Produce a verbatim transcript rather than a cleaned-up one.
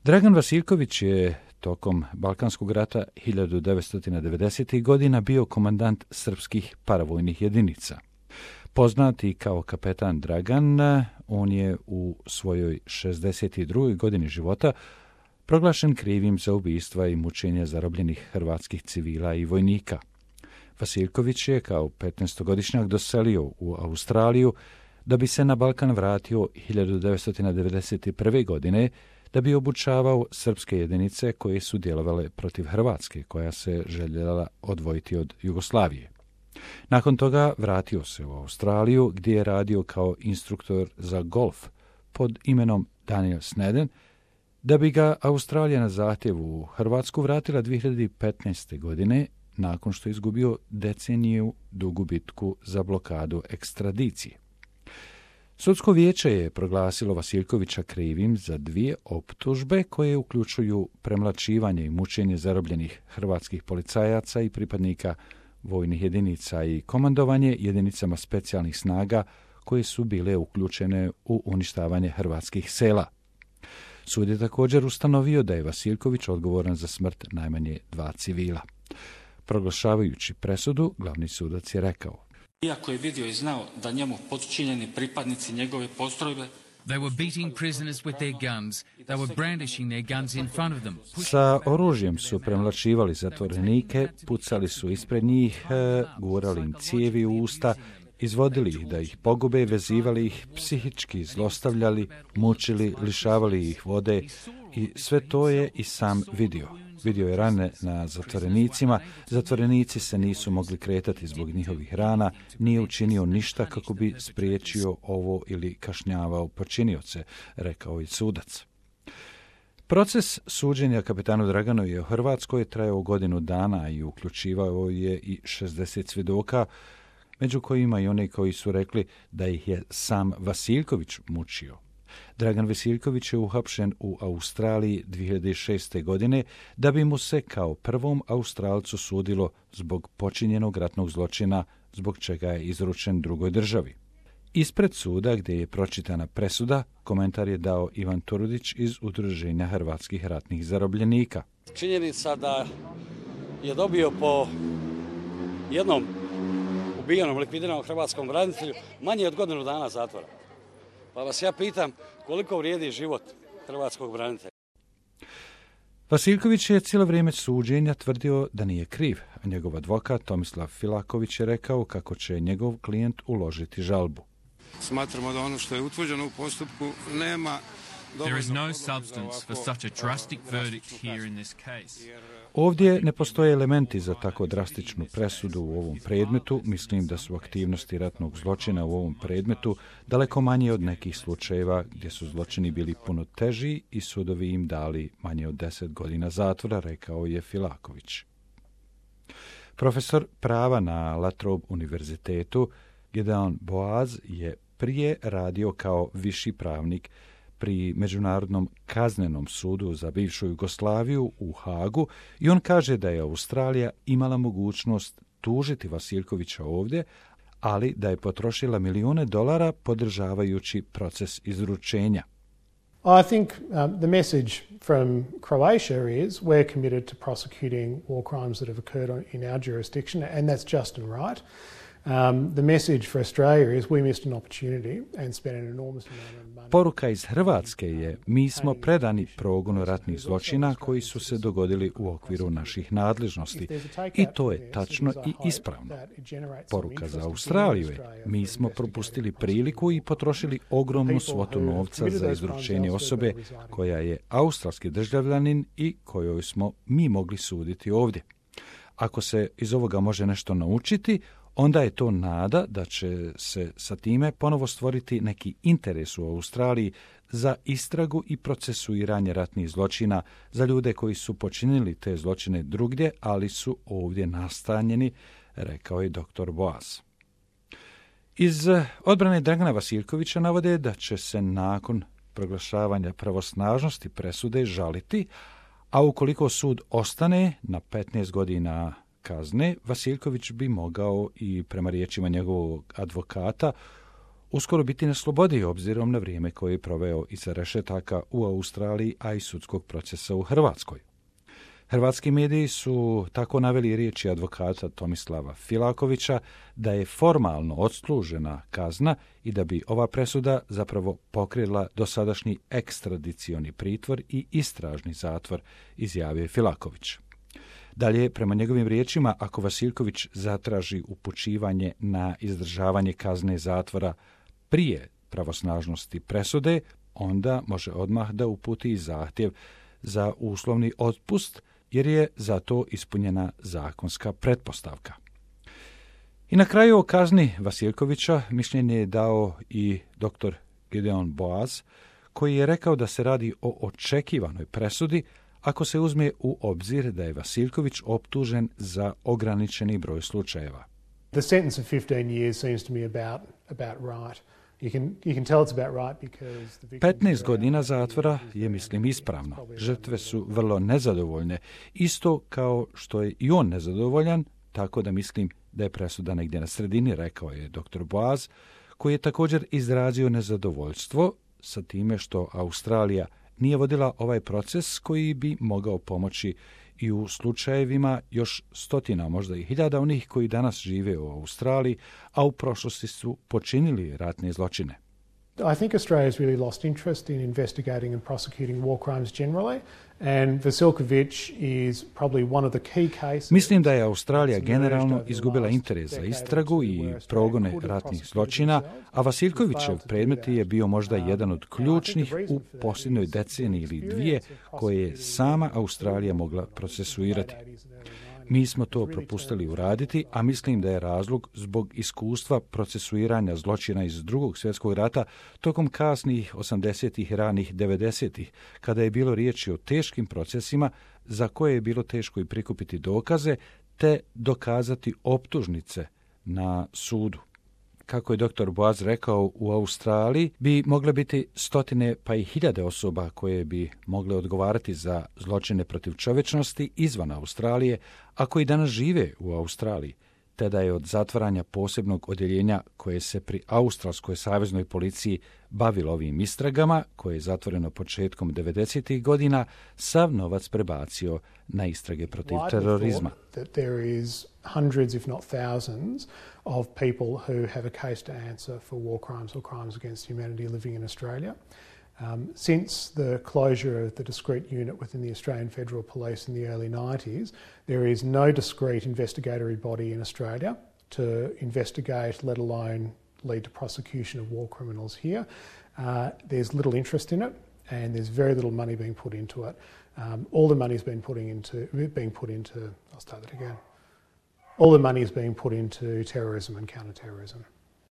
Dragan Vasiljković je tokom Balkanskog rata hiljadu devetsto devedesetih godina bio komandant srpskih paravojnih jedinica. Poznati kao kapetan Dragan, on je u svojoj šezdeset drugoj godini života proglašen krivim za ubistva i mučenja zarobljenih hrvatskih civila i vojnika. Vasiljković je kao petnaestogodišnjak doselio u Australiju da bi se na Balkan vratio hiljadu devetsto devedeset prve. godine da bi obučavao srpske jedinice koje su djelovale protiv Hrvatske, koja se željela odvojiti od Jugoslavije. Nakon toga vratio se u Australiju gdje je radio kao instruktor za golf pod imenom Daniel Sneden, da bi ga Australija na zahtjev u Hrvatsku vratila dvije hiljade petnaeste. godine nakon što je izgubio deceniju dugu bitku za blokadu ekstradicije. Sudsko vijeće je proglasilo Vasiljkovića krivim za dvije optužbe koje uključuju premlaćivanje i mučenje zarobljenih hrvatskih policajaca i pripadnika vojnih jedinica i komandovanje jedinicama specijalnih snaga koje su bile uključene u uništavanje hrvatskih sela. Sud je također ustanovio da je Vasiljković odgovoran za smrt najmanje dva civila. Proglašavajući presudu, glavni sudac je rekao: Iako je vidio i znao da njemu podčinjeni pripadnici njegove postrojbe They were beating prisoners with their guns. They were brandishing their guns in front of them. Sa oružjem su premlaćivali zatvorenike, pucali su ispred njih, gurali im cijevi u usta, izvodili ih da ih pogube, vezivali ih, psihički zlostavljali, mučili, lišavali ih vode i sve to je i sam vidio. Vidio je rane na zatvorenicima, zatvorenici se nisu mogli kretati zbog njihovih rana, nije učinio ništa kako bi spriječio ovo ili kažnjavao počinioce, rekao je sudac. Proces suđenja kapetanu Draganu je u Hrvatskoj trajao godinu dana i uključivao je i šezdeset svjedoka, među kojima i oni koji su rekli da ih je sam Vasiljković mučio. Dragan Vasiljković je uhapšen u Australiji dvije hiljade šeste. godine da bi mu se kao prvom Australcu sudilo zbog počinjenog ratnog zločina, zbog čega je izručen drugoj državi. Ispred suda, gdje je pročitana presuda, komentar je dao Ivan Turudić iz Udruženja hrvatskih ratnih zarobljenika. Činjenica da je dobio po jednom ubijenom, likvidiranom hrvatskom branitelju manje od godinu dana zatvora. Pa vas ja pitam, koliko vrijedi život hrvatskog branitelja? Vasiljković je cijelo vrijeme suđenja tvrdio da nije kriv, a njegov advokat Tomislav Filaković je rekao kako će njegov klijent uložiti žalbu. Smatramo da ono što je utvrđeno u postupku nema... There is no substance for such a drastic verdict here in this case. Ovdje ne postoje elementi za tako drastičnu presudu u ovom predmetu. Mislim da su aktivnosti ratnog zločina u ovom predmetu daleko manje od nekih slučajeva gdje su zločini bili puno teži i sudovi im dali manje od deset godina zatvora, rekao je Filaković. Profesor prava na La Trobe univerzitetu Gideon Boaz je prije radio kao viši pravnik pri Međunarodnom kaznenom sudu za bivšu Jugoslaviju u Hagu i on kaže da je Australija imala mogućnost tužiti Vasiljkovića ovdje, ali da je potrošila milijune dolara podržavajući proces izručenja. I think um, the message from Croatia is we're committed to prosecuting war crimes that have occurred in our jurisdiction, and that's just and right. Um, the message for Australia is we missed an opportunity and spent an enormous amount of money. Poruka iz Hrvatske je: mi smo predani progonu ratnih zločina koji su se dogodili u okviru naših nadležnosti. I to je tačno i ispravno. Poruka za Australiju je: mi smo propustili priliku i potrošili ogromnu svotu novca za izručenje osobe koja je australski državljanin i kojoj smo mi mogli suditi ovdje. Ako se iz ovoga može nešto naučiti, onda je to nada da će se sa time ponovo stvoriti neki interes u Australiji za istragu i procesuiranje ratnih zločina za ljude koji su počinili te zločine drugdje, ali su ovdje nastanjeni, rekao je doktor Boaz. Iz odbrane Dragana Vasiljkovića navode da će se nakon proglašavanja pravosnažnosti presude žaliti, a ukoliko sud ostane na petnaest godina kazne, Vasiljković bi mogao i prema riječima njegovog advokata uskoro biti na slobodi obzirom na vrijeme koje je proveo iza rešetaka u Australiji, a i sudskog procesa u Hrvatskoj. Hrvatski mediji su tako naveli riječi advokata Tomislava Filakovića da je formalno odslužena kazna i da bi ova presuda zapravo pokrila dosadašnji ekstradicioni pritvor i istražni zatvor, izjavio Filaković. Dalje, prema njegovim riječima, ako Vasiljković zatraži upućivanje na izdržavanje kazne zatvora prije pravosnažnosti presude, onda može odmah da uputi i zahtjev za uslovni otpust, jer je za to ispunjena zakonska pretpostavka. I na kraju o kazni Vasiljkovića mišljenje je dao i doktor Gideon Boaz, koji je rekao da se radi o očekivanoj presudi ako se uzme u obzir da je Vasiljković optužen za ograničeni broj slučajeva. The sentence of fifteen years seems to me about, about right. You can, you can tell it's about right because the victims petnaest godina zatvora je, mislim, ispravno. Žrtve su vrlo nezadovoljne, isto kao što je i on nezadovoljan, tako da mislim da je presuda negdje na sredini, rekao je doktor Boaz, koji je također izrazio nezadovoljstvo sa time što Australija nije vodila ovaj proces koji bi mogao pomoći i u slučajevima još stotina, možda i hiljada onih koji danas žive u Australiji, a u prošlosti su počinili ratne zločine. I think Australia has really lost interest in investigating and prosecuting war crimes generally, and Vasilković is probably one of the key cases. Mislim da je Australija generalno izgubila interes za istragu i progone ratnih zločina, a Vasiljkovićev predmet je bio možda jedan od ključnih u posljednjoj deceniji ili dvije koje je sama Australija mogla procesuirati. Mi smo to propustili uraditi, a mislim da je razlog zbog iskustva procesuiranja zločina iz Drugog svjetskog rata tokom kasnih osamdesetih i ranih devedesetih, kada je bilo riječi o teškim procesima za koje je bilo teško i prikupiti dokaze, te dokazati optužnice na sudu. Kako je doktor Boaz rekao, u Australiji bi mogle biti stotine pa i hiljade osoba koje bi mogle odgovarati za zločine protiv čovječnosti izvan Australije, a koji danas žive u Australiji, te da je od zatvaranja posebnog odjeljenja koje se pri Australskoj saveznoj policiji bavilo ovim istragama, koje je zatvoreno početkom devedesetih godina, sav novac prebacio na istrage protiv terorizma. Hundreds, if not thousands, of people who have a case to answer for war crimes or crimes against humanity living in Australia. Um, since the closure of the discrete unit within the Australian Federal Police in the early nineties, there is no discrete investigatory body in Australia to investigate, let alone lead to prosecution of war criminals here. Uh, there's little interest in it, and there's very little money being put into it. Um, all the money's been putting into being put into. I'll start that again. All the money is being put into terrorism and counter-terrorism.